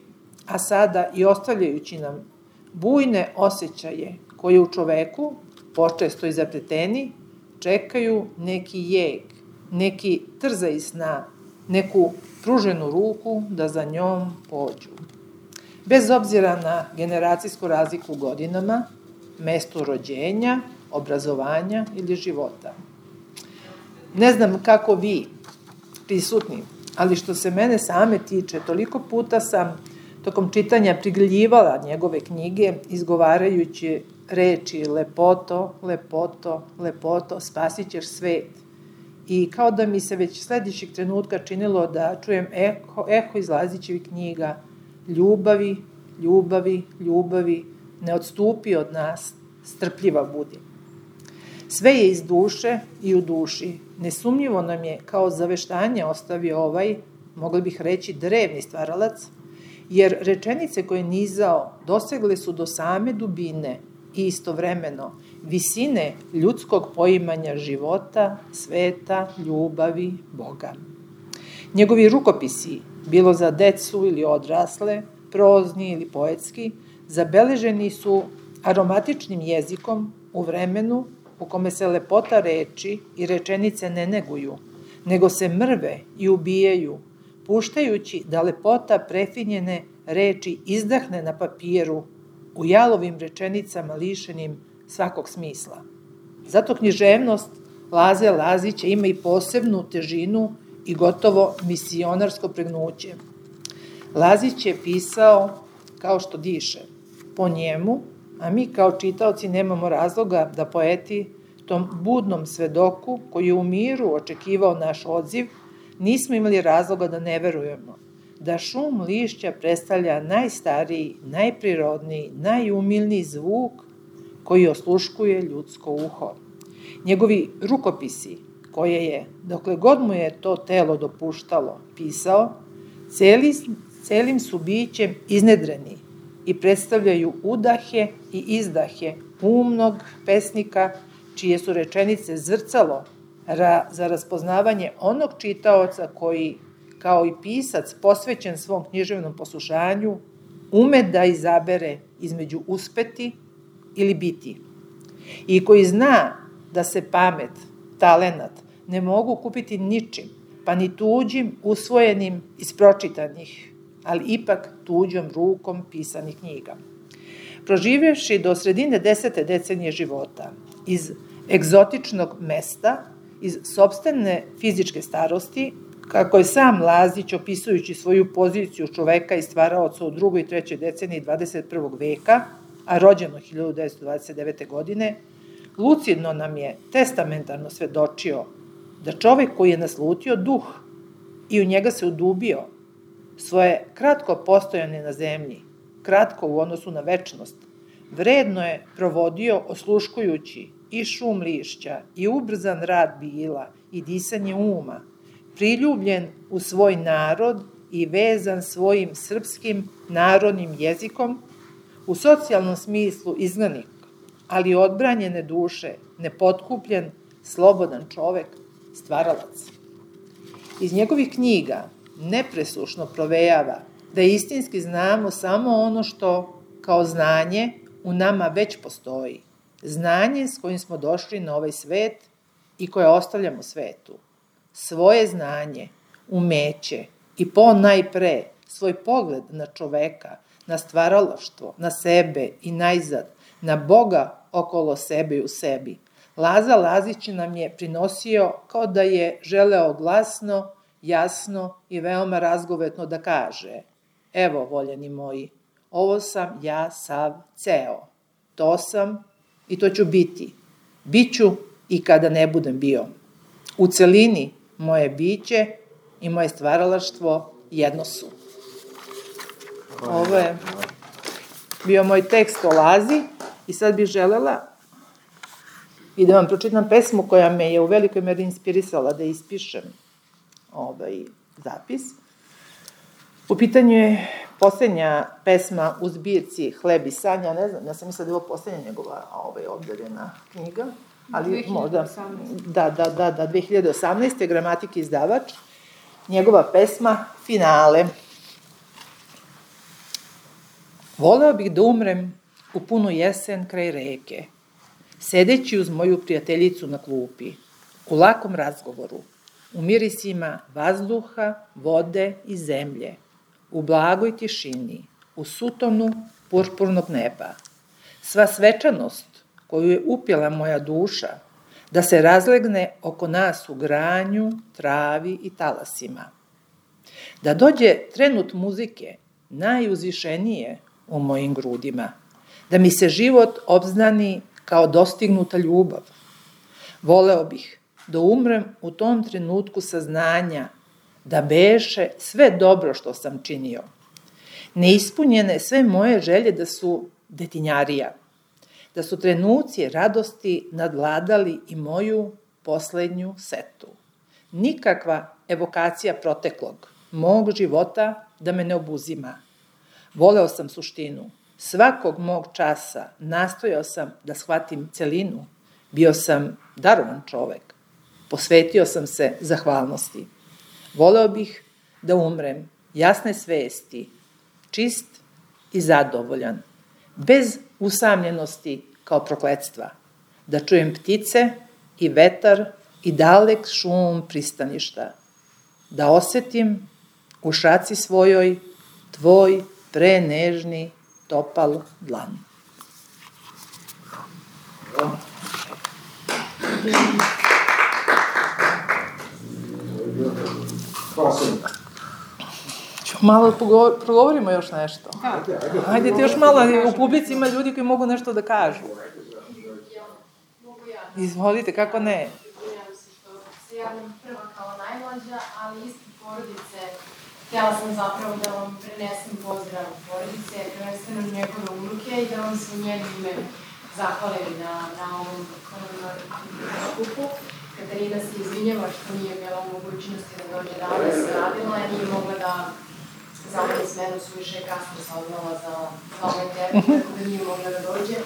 a sada i ostavljajući nam bujne osjećaje koje u čoveku, počesto i zapleteni, čekaju neki jeg, neki trzaj sna, neku pruženu ruku da za njom pođu. Bez obzira na generacijsku razliku u godinama, mestu rođenja, obrazovanja ili života. Ne znam kako vi, prisutni, ali što se mene same tiče, toliko puta sam tokom čitanja prigljivala njegove knjige, izgovarajući reči lepoto, lepoto, lepoto, spasit ćeš svet. I kao da mi se već sledećeg trenutka činilo da čujem eho iz Lazićevih knjiga, ljubavi, ljubavi, ljubavi, ne odstupi od nas, strpljiva budi. Sve je iz duše i u duši. Nesumnjivo nam je kao zaveštanje ostavio ovaj, mogli bih reći, drevni stvaralac, jer rečenice koje je nizao dosegle su do same dubine i istovremeno visine ljudskog poimanja života, sveta, ljubavi, Boga. Njegovi rukopisi, bilo za decu ili odrasle, prozni ili poetski, zabeleženi su aromatičnim jezikom u vremenu u kome se lepota reči i rečenice ne neguju, nego se mrve i ubijaju, puštajući da lepota prefinjene reči izdahne na papiru u jalovim rečenicama lišenim svakog smisla. Zato književnost Laze Lazića ima i posebnu težinu i gotovo misionarsko pregnuće. Lazić je pisao kao što diše, po njemu, a mi kao čitaoci nemamo razloga da poeti tom budnom svedoku koji je u miru očekivao naš odziv, nismo imali razloga da ne verujemo, da šum lišća predstavlja najstariji, najprirodniji, najumilniji zvuk koji osluškuje ljudsko uho. Njegovi rukopisi, koje je, dokle god mu je to telo dopuštalo, pisao, celim su bićem iznedreni i predstavljaju udahe i izdahe umnog pesnika, čije su rečenice zrcalo za raspoznavanje onog čitaoca koji, kao i pisac posvećen svom književnom poslušanju, ume da izabere između uspeti ili biti i koji zna da se pamet, talenat ne mogu kupiti ničim, pa ni tuđim, usvojenim iz pročitanih, ali ipak tuđom rukom pisanih knjiga. Proživjevši do sredine 10. decenije života, iz egzotičnog mesta, iz sopstvene fizičke starosti, kako je sam Lazić, opisujući svoju poziciju čoveka i stvaraoca u 2. i 3. deceniji 21. veka, a rođeno 1929. godine, lucidno nam je testamentarno svedočio da čovek koji je naslutio duh i u njega se udubio, svoje kratko postojanje na zemlji, kratko u odnosu na večnost, vredno je provodio osluškujući i šum lišća, i ubrzan rad bila, i disanje uma, priljubljen u svoj narod i vezan svojim srpskim narodnim jezikom, u socijalnom smislu izgnanik, ali odbranjene duše, nepotkupljen, slobodan čovek, stvaralac. Iz njegovih knjiga nepresušno provejava da istinski znamo samo ono što, kao znanje, u nama već postoji. Znanje s kojim smo došli na ovaj svet i koje ostavljamo svetu. Svoje znanje, umeće i najpre svoj pogled na čoveka, na stvaralaštvo, na sebe i najzad, na Boga okolo sebe i u sebi. Laza Lazić nam je prinosio kao da je želeo glasno, jasno i veoma razgovetno da kaže: evo, voljeni moji, ovo sam ja sav ceo. To sam i to ću biti. Biću i kada ne budem bio. U celini moje biće i moje stvaralaštvo jedno su. Ovo je bio moj tekst o Lazi i sad bih želela i da vam pročitam pesmu koja me je u velikoj meri inspirisala da ispišem zapis. U pitanju je poslednja pesma u zbirci Hleb i san, ja ne znam, ja sam mislila da je ovo poslednja njegova objavljena knjiga, ali možda, da, 2018. Gramatik izdavač, njegova pesma Finale. Voleo bih da umrem u punu jesen kraj reke, sedeći uz moju prijateljicu na klupi, u lakom razgovoru, u mirisima vazduha, vode i zemlje, u blagoj tišini, u sutonu purpurnog neba. Sva svečanost koju je upjela moja duša, da se razlegne oko nas u granju, travi i talasima. Da dođe trenut muzike, najuzvišenije u mojim grudima, da mi se život obznani kao dostignuta ljubav. Voleo bih da umrem u tom trenutku saznanja da beše sve dobro što sam činio. Neispunjene sve moje želje da su detinjarija, da su trenuci radosti nadvladali i moju poslednju setu. Nikakva evokacija proteklog, mog života da me ne obuzima. Voleo sam suštinu. Svakog mog časa nastojao sam da shvatim celinu. Bio sam darovan čovek. Posvetio sam se zahvalnosti. Voleo bih da umrem jasne svesti, čist i zadovoljan, bez usamljenosti kao prokletstva, da čujem ptice i vetar i dalek šum pristaništa, da osetim u šaci svojoj tvoj prenežni topal dlan. Malo progovorimo još nešto. Hajde ti još malo, u publici ima ljudi koji mogu nešto da kažu. Izvolite, kako ne? Izvinjam se što se javljam prva kao najmlađa, ali ispred porodice htjela sam zapravo da vam prenesem pozdrav porodice, prvenstveno njegove unuke i da vam se u njeno ime zahvalim na ovom skupu. Katarina se izvinjava što nije bila u mogućnosti da dođe danas, radila je, nije mogla da zameni smenu, suviše je kasno saznala za ovaj termin, tako da nije mogla da dođe,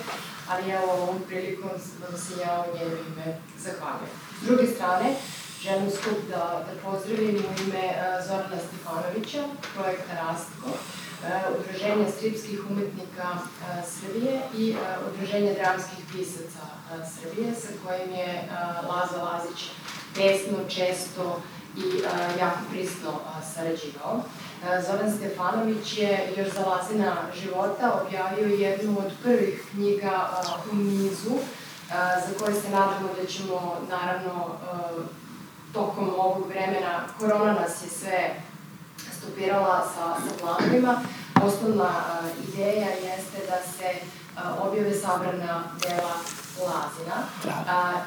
ali evo ovom prilikom da se ja u njeno ime zahvaljujem. S druge strane, želim skup da pozdravim u ime Zorana Stefanovića, projekta Rastko, Udruženja stripskih umetnika Srbije i Udruženja dramskih pisaca Srbije, sa kojim je Laza Lazić pesno, često i jako prisno sarađivao. Zoran Stefanović je još za Lazina života objavio jednu od prvih knjiga u nizu, za koje se nadamo da ćemo, naravno, tokom ovog vremena, korona nas je sve stopirala sa planovima. Osnovna ideja jeste da se objave sabrana dela Lazina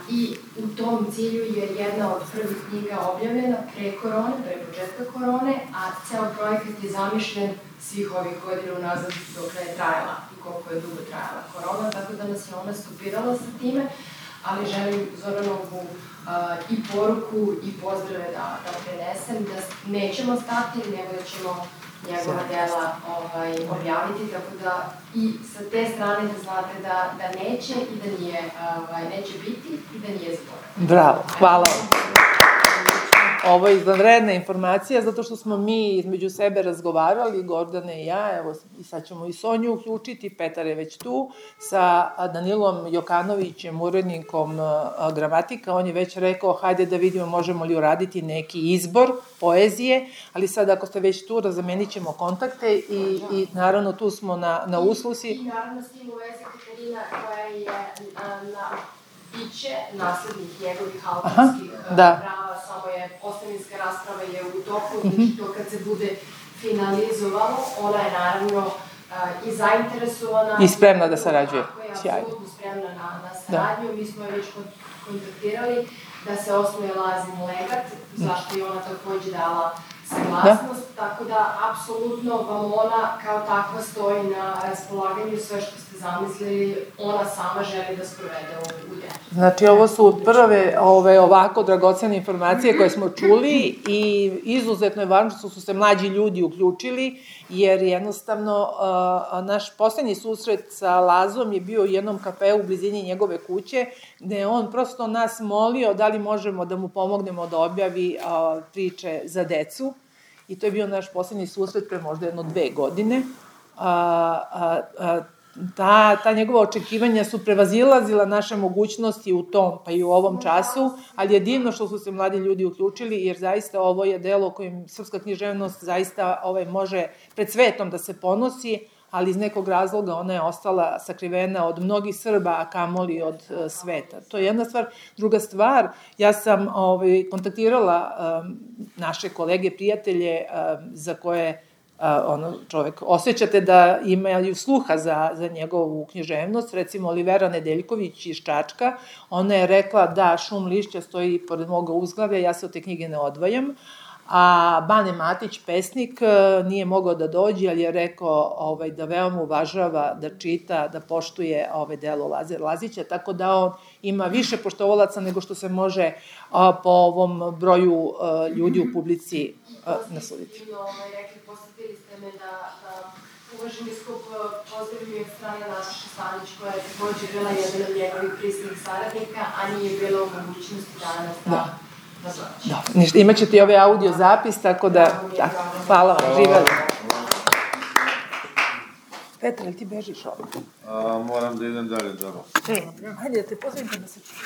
i u tom cilju je jedna od prvih knjiga objavljena pre korone, pre početka korone, a ceo projekat je zamišljen svih ovih godina unazad dok je trajala i koliko je dugo trajala korona, tako da nas je ona stopirala sa time, ali želim Zoranovu i poruku i pozdrave da prenesem, da nećemo stati, nego da ćemo njegova dela objaviti, tako da i sa te strane da znate da neće i da neće biti i da nije zaboravljeno. Bravo, hvala vam. Ovo je izvanredna informacija, zato što smo mi između sebe razgovarali, Gordana i ja, evo i sad ćemo i Sonju uključiti, Petar je već tu, sa Danilom Jokanovićem, urednikom gramatika, on je već rekao, hajde da vidimo možemo li uraditi neki izbor poezije, ali sad ako ste već tu, razamenit ćemo kontakte i naravno tu smo na usluzi. I naravno s tim u vezi Katarina koja je biće naslednik njegovih autorskih prava, samo je ostavinska rasprava je u toku, znači to kad se bude finalizovalo, ona je naravno i zainteresovana. I spremna da sarađuje. Sjajno. Je apsolutno spremna na saradnju, mi smo je već kontaktirali da se osnuje Lazin legat, zašto je ona takođe dala saglasnost, tako da apsolutno vam ona kao takva stoji na raspolaganju, sve što ste zamislili, ona sama želi da sprovede u delu. Znači, ovo su prve ovako dragocene informacije koje smo čuli i izuzetno je važno što su se mlađi ljudi uključili, jer jednostavno naš poslednji susret sa Lazom je bio u jednom kafeu u blizini njegove kuće, gde je on prosto nas molio da li možemo da mu pomognemo da objavi priče za decu. I to je bio naš poslednji susret pre možda 2 godine. Ta njegova očekivanja su prevazilazila naše mogućnosti u tom, pa i u ovom času, ali je divno što su se mladi ljudi uključili, jer zaista ovo je delo kojim srpska književnost zaista može pred svetom da se ponosi, ali iz nekog razloga ona je ostala sakrivena od mnogih Srba, a kamoli od sveta. To je jedna stvar. Druga stvar, ja sam kontaktirala naše kolege, prijatelje za koje čovek osjećate da imaju sluha za njegovu književnost, recimo Olivera Nedeljković iz Čačka, ona je rekla da Šum lišća stoji pored moga uzglavlja, ja se od te knjige ne odvajam, a Bane Matić, pesnik, nije mogao da dođe, ali je rekao da veoma uvažava, da čita, da poštuje delo Lazara Lazića, tako da on ima više poštovalaca nego što se može po ovom broju ljudi u publici nasuditi. Postavili ste me da uvaženi skup pozdravim od strane Nataše Stanić, koja je takođe bila jedan od njegovih prisnih saradnika, a nije bila u mogućnosti danas da dođe. Ništa, imat ćete i ovaj audio zapis, tako da, hvala vam, živeli. Petra, ili ti bežiš ovdje? Moram da idem dalje, dobro. Hajde da te pozdravim da se čuje.